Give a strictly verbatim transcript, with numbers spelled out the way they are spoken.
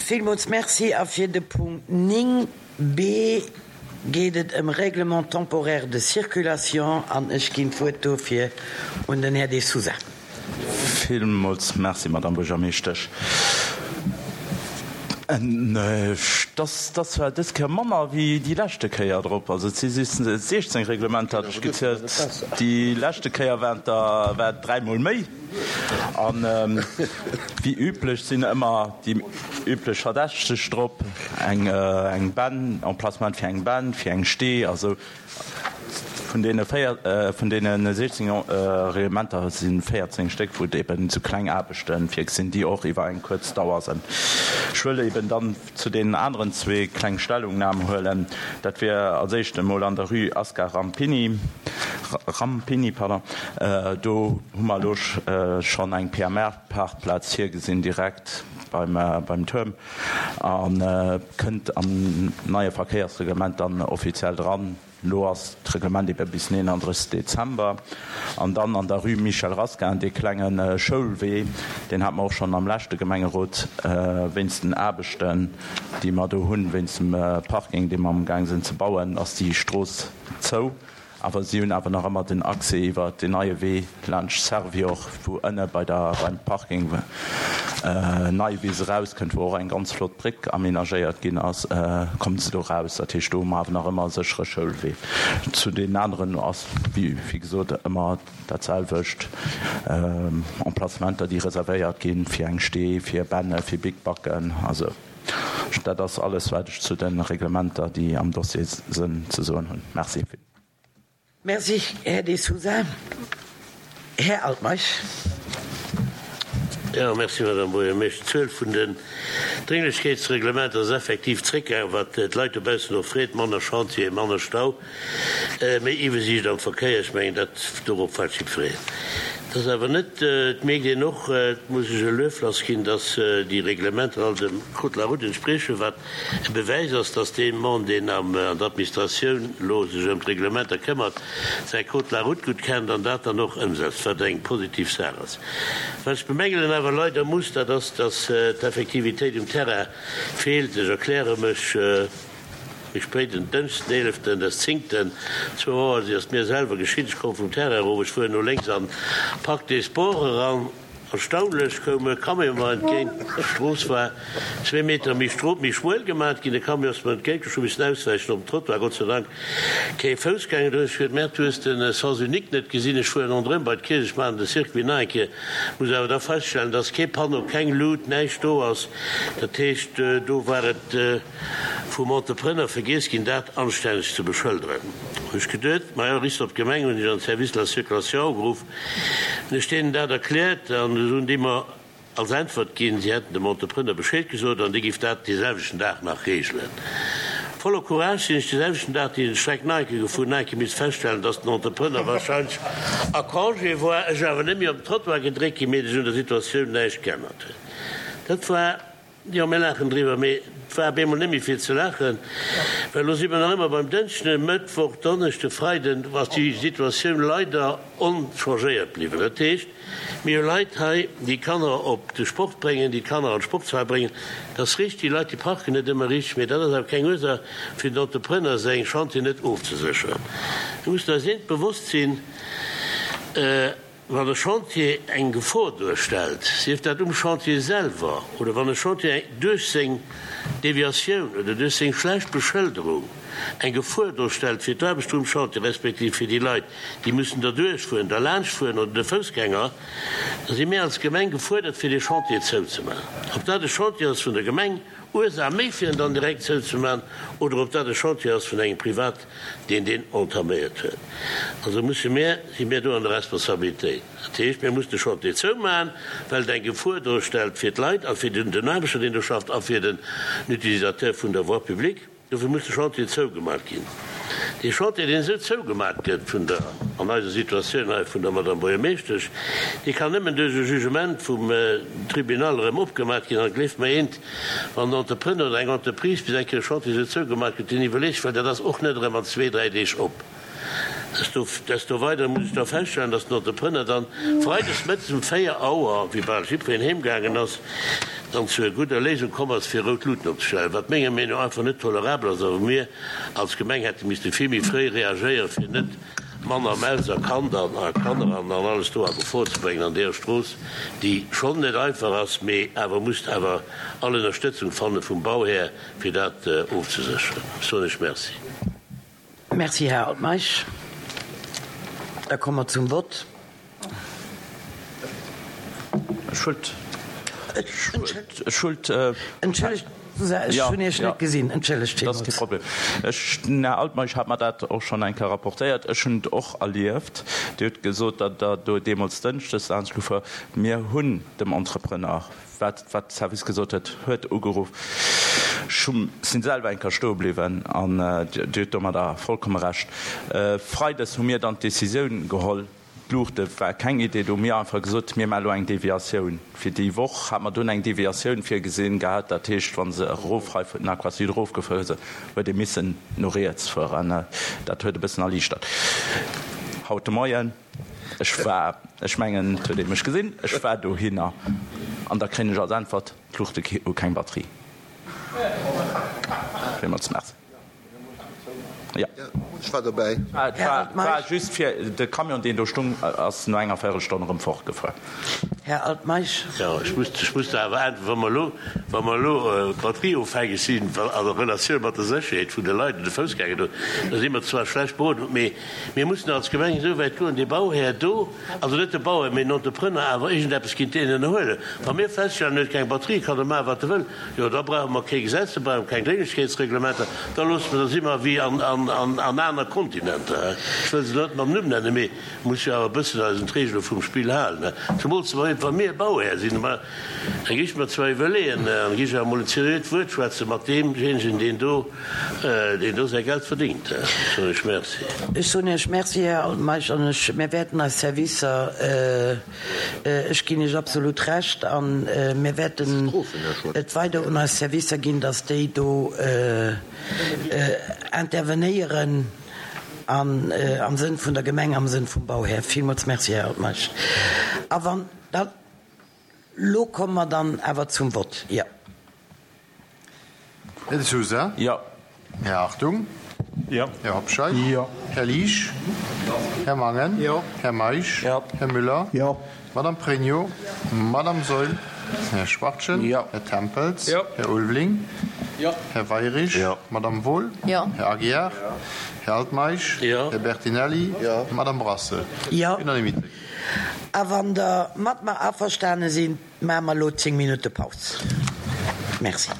Villmools Merci. A fir de Punkt néng B geet et ëm Règlement temporaire de circulation an ech ginn d'Wuert dofir un den Här De Sousa. Villmools Merci, Madame Buergermeeschtesch. Et ass zwar dës Kéier manner wéi déi leschte Kéier drop, also et si siechzéng Reglementer, hat ech gezielt, déi leschte Kéier waren et der war et dräimol méi. An wéi üblech sinn ëmmer déi üblech Verdächteg drop, eng eng Benn, Emplacement fir eng Benn, fir eng Stee, also Vun deene véier, vun deene siechzéng Reglementer si véierzéng Stéck, wou et eben esou kleng Aarbechte virgesinn, déi och iwwer eng kuerz Dauer sinn. Ech wëll eben dann zu deenen aneren zwee kleng Stellungnahm huelen. Dat wier als éischt emol an der Rue Ascar Rampini, Rampini, pardon. Do hu mer elo schonn eng P M R-Parkplaz virgesinn, direkt beim, beim Tuerm, a kënnt am neie Verkéiersreglement dann offiziell dran. Elo ass d'Reglement ebe bis den eenanddrëssegsten Dezember. An dann an der Rue Michel Rasquin, dee klenge Schoulwee, deen hate mer och schonn am leschte Gemengerot, wéinst den Aarbechten, déi mer do hunn, wéinst dem Parking, dee mer amgaang sinn ze bauen, ass déi Strooss zou. Awer si hunn awer nach ëmmer den Accès iwwer deen neie Wee laanscht Servior, wou ënne bei der, beim Parking Neiwiss erauskënnt, wou och eng ganz flott Bréck aménagéiert ginn ass, kommen se do raus. Dat heescht, do hu mer awer nach ëmmer e séchere Schoulwee. Zu deenen aneren ass, wéi gesot, ëmmer dat selwecht, Emplacementer, déi reservéiert ginn fir eng Stee, fir Benne, fir Bikbacken. Also dat ass alles, wat ech zu de Reglementer, déi am Dossier sënn, ze soen hunn. Merci. Merci, Här De Sousa. Här Altmeisch. Jo, merci, Madame Buergermeeschter. D'Zuel vun den Drénglechkeetsreglementer ass effektiv zréckgaangen, wat d'Leit dobaussen och freet, manner Chantier, manner Stau, méi Iwwersiicht am Verkéier. Ech mengen, dat, dorop waart jiddwereen. Et ass awer net, et mierkt een och, et muss ech e Luef lassginn, dass déi Reglementer all dem Code de la route entspriechen, wat E Bewäis ass, dass dee Mann, deen an der Administratioun elo sech ëm d'Reglementer këmmert, säi Code de la route gutt kennt an dat dann och ëmsetzt, wat eng positiv Saach ass. Wat ech bemängelen awer leider muss, dat ass, dass d'Effektivitéit um Terrain feelt. Ech erkläre mech méi spéit. En Dënschden, den eeleften des zéngten, zwou Auer, si ass mir selwer geschitt, ech komm vum Terrain erof, ech fueren no lénks an Parc des Sports eran, Erstaunlech koum e Camion mer entgéint. D'Strooss war zwee Meter méi strot, méi schmuel gemat ginn. De Camion ass mer entgéint, ech hu missen auswäichen op den Trottoir. Gott sei Dank kee Foussgänger. Du hues gesot, Merde, du hues de Sens unique net gesinn. Ech fueren ronderëm bei d'Kierch, ech maachen de Circuit nach eng Kéier. Muss awer da feststellen, dass kee Panneau, keng Luut, näischt do ass. Dat heescht, do war et vum Entrepreneur vergiess ginn, dat anstänneg ze beschëlderen. Hu ech geduet, majo, riffs op d'Gemeng, hunn ech an de Service de la circulation ugeruff. Hunn ech deenen dat erkläert an esou hunn déi mer als Äntwert ginn, si hätten dem Entrepreneur Bescheed gesot an dee giff dat dee selwechten Dag nach reegelen. Voller Courage sinn ech dee selwechten Dag déi Streck nach eng Kéier gefuer, nach eng Kéier misst feststellen, dass den Entrepreneur wahrscheinlech a Congé war, ech awer net méi op den Trottoir gedréckt ginn, mee sech un der Situatioun näischt geännert huet. Dat war. Jo, mir laachen driwwer, mee et war op eemol net méi vill ze laachen, well elo si mer nach ëmmer beim Dënschden, Mëttwoch, Donneschden, Freiden ass déi Situatioun leider onchangéiert bliwwen. Dat heescht, mir hu Leit hei, déi Kanner op de Sport bréngen, déi d'Kanner an d'Sportshal bréngen. Dat ass richteg, déi Leit, déi parken net ëmmer richteg, mee dat ass awer keng Ursaach, fir den Entrepreneur seng Chantier net ofzesécheren. Mir mussen eis eent bewosst sinn, Wann e Chantier eng Gefor duerstellt, sief dat um Chantier selwer oder wann e Chantier duerch seng Deviatioun oder duerch seng schlecht Beschëlderung eng Gefor duerstellt fir d'Aarbechter um Chantier respektiv fir déi Leit, déi mussen derduerch fueren, derlaanscht fueren oder de Foussgänger, da si mir als Gemeng gefuerdert fir dee Chantier zouzemaachen. Ob dat e Chantier ass vun der Gemeng, Ursaach méi fir en dann direkt zouzemaachen, oder ob dat e Chantier ass vun engem Privat, deen deen entaméiert huet. Also musse mir, si mir do an der Responsabilitéit. Dat heescht, mir mussen de Chantier zoumaachen, well et eng Gefor duerstellt fir d'Leit a fir den Aarbechter, deen do schafft, a fir den Utilisateur vun der Voie publique. Dofir muss de Chantier zougemat ginn. Dee Chantier, deen esou zougemat gëtt vun der, an eiser Situatioun hei, vun der Madame Buergermeeschtesch, dee kann nëmmen duerch e Jugement vum Tribunal erëm opgemat ginn. An gleeft mer eent, wann en Entrepreneur oder eng Entreprise bis eng Kéier e Chantier esou zougemat gëtt, deen iwwerleet sech, well dat ass och net erëm an zwee, dräi Deeg op. Desto weider muss ech da feststellen, dass den Entrepreneur dann freides mëttes um véier Auer, wéi bal jiddwereen heemgaangen ass, dann zu enger gudder Léisung komm ass, fir rout Luuten opzestellen, wat menger Meenung no einfach net tolerabel ass a wou mir als Gemeng hätte misste vill méi fréi reagéieren, fir net Mann a Maus a Kand an a Kanner an an alles do a Gefor ze bréngen an deeër Strooss, déi schonn net einfach ass, mee awer musst awer all Ënnerstëtzung fanne vum Bauhär, fir dat ofzesécheren. Soen ech Merci. Merci, Här Altmeisch. Da komme mer zum Vott. Ech wollt, ech wollt. Entschëllegt, ech hunn Iech net gesinn. Entschëllegt villmools. Dat ass kee Problem. Ech, den Här Altmeisch hat mer dat och schonn eng Kéier rapportéiert. Ech hunn et och erlieft. Dir hutt gesot, datt Der do deemools dënschdes laanscht gefuer. Mir hunn dem Entrepreneur, wat wat de Service gesot huet, huet ugeruff. Ech hu sinn selwer eng Kéier stoe bliwwen an Dir hutt domadder vollkomme Recht. Freides hu mir dann d'Decisioun geholl, D'Luuchte war keng Idee. Do hu mir einfach gesot, mir maache lo eng Deviatioun. Fir déi Woch hat mer dunn eng Deviatioun virgesinn gehat. Dat heescht, wa se erof hei vun den Aquasud erofgefuer sinn, huet ee missen no riets fueren. Dat huet e bëssen erliichtert. Haut de Moien, ech war, ech mengen, et huet ee mech gesinn, ech war dohinner an da kréien ech als Äntwert, d'Luuchte hu keng Batterie. Villmools Merci. Jo. Ech war dobäi. Et war just fir de Camion, deen do stung, ass no enger Véirelstonn erëm fortgefuer. Här Altmeisch. Jo, ech muss, ech muss der awer äntweren, wa mer elo, wa mer elo batterieofhängeg sinn an der Relatioun mat der Sécherheet vun de Leit an de Foussgänger do, da si mer zwar schlecht beroden, mee mir mussen als Gemeng esou wäit goen, dee Bauhär do, also net de Bauhär, mee den Entrepreneur awer iergendeppes géint deen ënnerhuelen. Wa mir feststellen, en huet keng Batterie, kann e maachen, wat e wëll. Jo, da brauche mer kee Gesetz, da brauche mer keng Drénglechkeetsreglementer, da loosse mer, da si mer wéi an aner Kontinenter. Ech wëll se net mam Numm nennen, mee muss jo awer e bëssen eis un d'Regele vum Spill halen. Zemools wa mir Bauhär sinn. Mä da gi ech mer zwar iwwerleeën an gi ech awer emol en seriöt Wuert schwätze mat deemjéinegen, deen do, deen do säi Geld verdéngt. Soen ech Merci. Ech soen Iech Merci, Här Altmeisch, an ech, mir wäerten eis Servicer, Ech ginn Iech absolut Recht a mir wäerten et weider un eis Servicer ginn, datt déi do intervenéieren an am Sënn vun der Gemeng, am Sënn vum Bauhär. Villmools Merci, Här Altmeisch. A wann da lo komme mer dann awer zum Vott. Jo. Här De Sousa? Jo. Här Hartung? Jo. Här Hobscheit? Jo. Här Liesch? Jo. Här Mangen? Jo. Här Meisch? Jo. Här Müller? Jo. Madame Pregno? Madame Saeul? Här Schwachtgen? Jo. Här Tempels? Jo. Här Ulveling? Jo. Här Weirich? Jo. Madame Wohl? Jo. Här Aguiar? Jo. Här Altmeisch? Jo. Här Bertinelli? Jo. Madame Brassel? Jo. Unanimité. A wann Der mat mer averstane sinn, maache mer elo zéng Minutte Paus. Merci.